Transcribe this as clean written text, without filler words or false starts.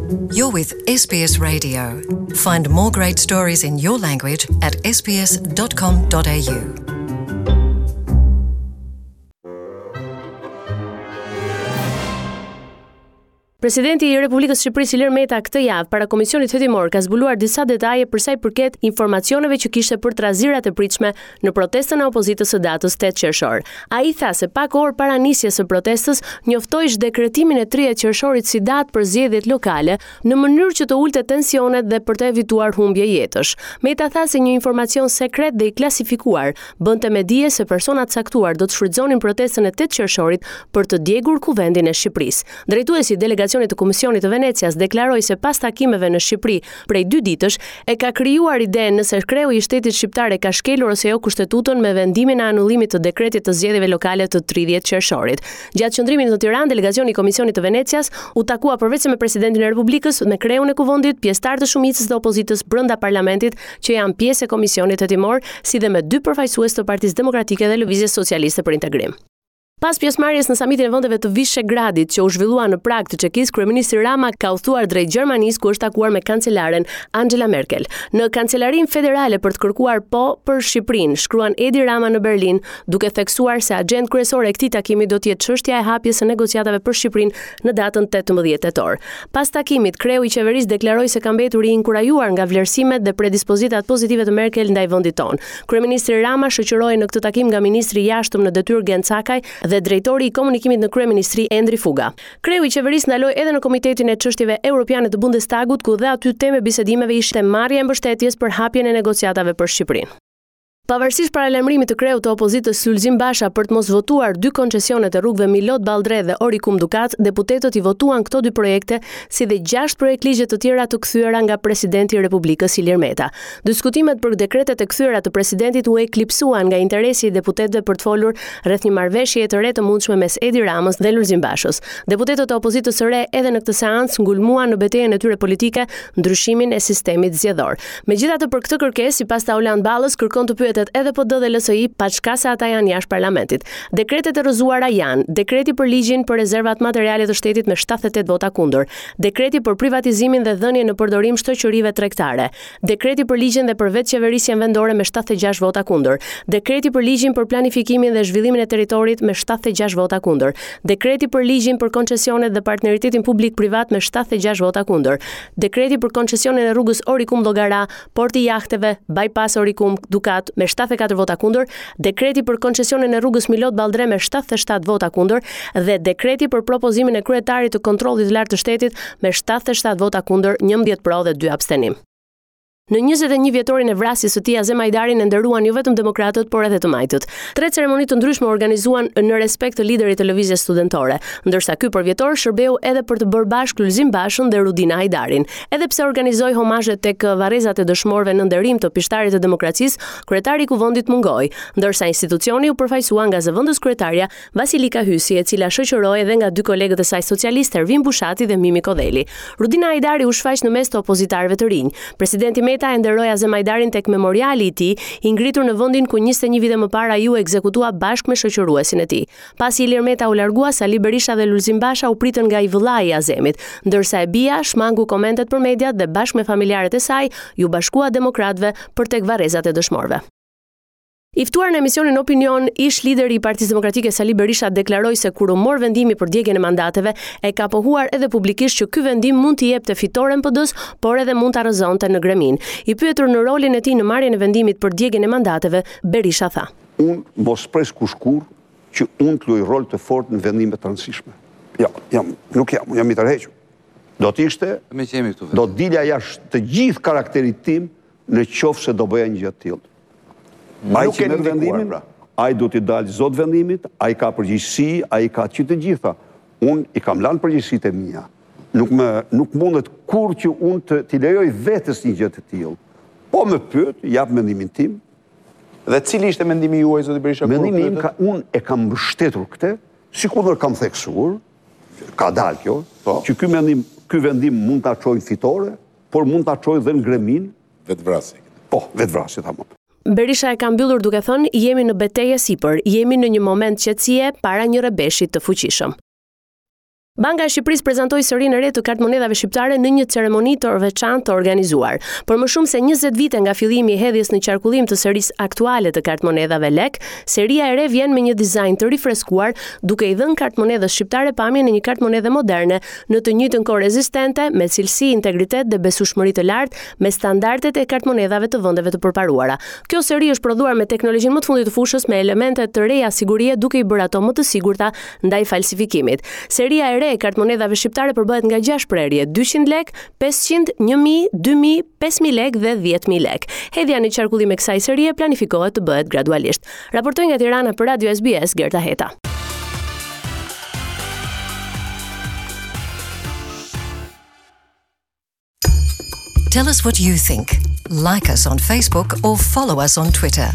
You're with SBS Radio. Find more great stories in your language at sbs.com.au. Presidenti i Republikës së Shqipërisë Ilir Meta këtë javë para Komisionit Hetimor ka zbuluar disa detaje për sa i përket informacioneve që kishte për trazirat e pritshme në protestën e opozitës së datës 8 qershor. Ai tha se pak orë para nisjes së protestës njoftoi zhdekretimin e 30 qershorit si datë për zgjedhjet lokale, në mënyrë që të ulte tensionet dhe për të evituar humbje jetësh. Meta tha se një informacion sekret dhe i klasifikuar bënte me dije se persona të caktuar do të shfrytëzonin protestën e 8 qershorit për të djegur Kuvendin e Shqipërisë. Drejtuesi i delegacionit të Komisionit të Venecias deklaroi se pas takimeve në Shqipëri prej dy ditësh e ka krijuar idenë nëse kreu i shtetit shqiptar e ka shkelur ose jo kushtetutën me vendimin e anullimit të dekretit të zgjedhjeve lokale të 30 qershorit. Gjatë qëndrimit në Tiranë, delegacioni i Komisionit të Venecias u takua përveçse me presidentin e Republikës, me kreun e Kuvendit, pjesëtarë të shumicës dhe opozitës brenda parlamentit që janë pjesë e Komisionit Hetimor, si dhe me dy përfaqësues të Partisë Demokratike dhe Lëvizjes Socialiste për Integrim. Pas pjesëmarrjes në samitin e vendeve të Vishegradit që u zhvillua në Pragë të Çekisë, kryeministri Rama ka udhëtuar drejt Gjermanisë ku është takuar me kancelaren Angela Merkel. Në Kancelarinë Federale për të kërkuar po për Shqipërinë, shkruan Edi Rama në Berlin, duke theksuar se agjendë kryesore e këtij takimi do të jetë çështja e hapjes së negociatave për Shqipërinë në datën 18 tetor. Pas takimit, kreu i qeverisë deklaroi se ka mbetur i inkurajuar nga vlerësimet dhe predispozitat pozitive të Merkel ndaj vendit tonë. Kryeministri Rama shoqërohej në këtë takim nga ministri i Jashtëm në detyrë Gent Cakaj dhe drejtori i komunikimit në kryeministri Endri Fuga. Kreu i qeverisë ndaloi edhe në Komitetin e Çështjeve Europiane të Bundestagut, ku dhe aty temë e bisedimeve ishte marrja e mbështetjes për hapjen e negociatave për Shqipërinë. Pavarësisht paralajmërimit të kreut të opozitës Lulzim Basha për të mos votuar dy koncesionet e rrugëve Milot-Balldre dhe Orikum-Dukat, deputetët i votuan këto dy projekte si dhe gjashtë projektligje të tjera të kthyera nga presidenti i Republikës Ilir Meta. Diskutimet për dekretet e kthyera të presidentit u eklipsuan nga interesi i deputetëve për të folur rreth një marrëveshjeje të re të mundshme mes Edi Ramës dhe Lulzim Bashës. Deputetët e opozitës së re edhe në këtë seancë ngulmuan në betejën e tyre politike ndryshimin e sistemit zgjedhor. Megjithatë për këtë kërkesë, sipas Taulant Ballës, kërkon të pyetet edhe PD dhe LSI, paçka se ata janë jashtë parlamentit. Dekretet e rrëzuara janë, dekreti për ligjin për rezervat materiale të shtetit me 78 vota kundër, dekreti për privatizimin dhe dhënien në përdorim shoqërive tregtare, Dekreti për ligjin dhe për vetëqeverisjen vendore me 76 vota kundër. Dekreti për ligjin për planifikimin dhe zhvillimin e territorit me 76 vota kundër. Dekreti për ligjin për koncesionet dhe partneritetin publik-privat me 76 vota kundër. Dekreti për koncesionin e rrugës Orikum Llogara, Porti i Jahteve, Bypass Orikum Dukat me 74 vota kundër, dekreti për koncesionin e rrugës Milot Balldre me 77 vota kundër dhe dekreti për propozimin e kryetarit të Kontrollit të Lartë të Shtetit me 77 vota kundër, 11 pro dhe 2 abstenim. Në 21 vjetorin e vrasjes së tij, Azem Hajdarin e nderuan jo vetëm demokratët, por edhe të majtët. Tre ceremoni të ndryshme u organizuan në respekt të liderit të lëvizjes studentore, ndërsa ky përvjetor shërbeu edhe për të bërë bashkë Lulzim Bashën dhe Rudina Hajdarin. Edhe pse organizoi homazhe tek varrezat e dëshmorëve në nderim të pishtarit të demokracisë, kryetari i Kuvendit mungoi, ndërsa institucioni u përfaqësua nga zëvendëskryetarja Vasilika Hysi, e cila shoqërohej edhe nga dy kolegët e saj socialistë Ervin Bushati dhe Mimi Kodheli. Rudina Hajdari u shfaq në mes të opozitarëve të rinj. Presidenti Meta e nderoi Azem Hajdarin tek memoriali i tij, i ngritur në vendin ku 21 vite më parë ai u ekzekutua bashkë me shoqëruesin e tij. Pasi Ilir Meta u largua, Sali Berisha dhe Lulzim Basha u pritën nga i vëllai i Azemit, ndërsa e bija shmangu komentet për mediat dhe bashkë me familjarët e saj iu bashkua demokratëve për tek varrezat e dëshmorëve. I ftuar në emisionin Opinion, ish lideri i Partisë Demokratike Sali Berisha deklaroi se kur u mor vendimi për djegien e mandateve, e ka pohuar edhe publikisht që ky vendim mund t'i jepte fitoren PD-së, por edhe mund ta rrëzonte në greminë. I pyetur në rolin e tij në marrjen e vendimit për djegien e mandateve, Berisha tha. Unë mos pres kush kurrë që unë të luaj rol të fortë në vendime të rëndësishme. Jo, jam, nuk jam, unë jam i tërhequr. Do të ishte, do të dilja jashtë të gjithë karakterit tim në qoftë se do bëja një gjë të tillë. Ai që merr vendimin, pra. ai do t'i dalë zot vendimit, ai ka përgjegjësi, ai ka që të gjitha. Unë i kam lanë përgjegjësitë e mia. Nuk më nuk mundet kurrë që unë të t'i lejoj vetes një gjë të tillë. Po më pyet, jap mendimin tim. Dhe cili ishte mendimi juaj zoti Berisha kur Mendimi im ka unë e kam mbështetur këtë, sikundër kam theksuar, ka dalë kjo, po. që ky mendim, ky vendim mund ta çojë në fitore, por mund ta çojë dhe në greminë Vetëvrasje. Po, vetëvrasje tamam. Berisha e ka mbyllur duke thënë, jemi në betejë e sipër, jemi në një moment qetësie para një rrebeshi të fuqishëm. Banka e Shqipërisë prezantoi serinë e re të kartëmonedhave shqiptare në një ceremoni të veçantë të organizuar. Për më shumë se 20 vite nga fillimi i hedhjes në qarkullim të serisë aktuale të kartëmonedhave lek, seria e re vjen me një dizajn të rifreskuar, duke i dhënë kartëmonedhës shqiptare pamjen e një kartëmonedhe moderne, në të njëjtën kohë rezistente, me cilësi, integritet dhe besueshmëri të lartë me standardet e kartëmonedhave të vendeve të përparuara. Kjo seri është prodhuar me teknologjinë më të fundit të fushës me elemente të reja sigurie duke i bërë ato më të sigurta ndaj falsifikimit. Seria e re e kartëmonedhave shqiptare përbëhet nga 6 prerje, 200 lekë, 500, 1000, 2000, 5000 lekë dhe 10000 lekë. Hedhja në qarkullim e kësaj serie planifikohet të bëhet gradualisht. Raportoi nga Tirana për Radio SBS Gerta Heta. Tell us what you think. Like us on Facebook or follow us on Twitter.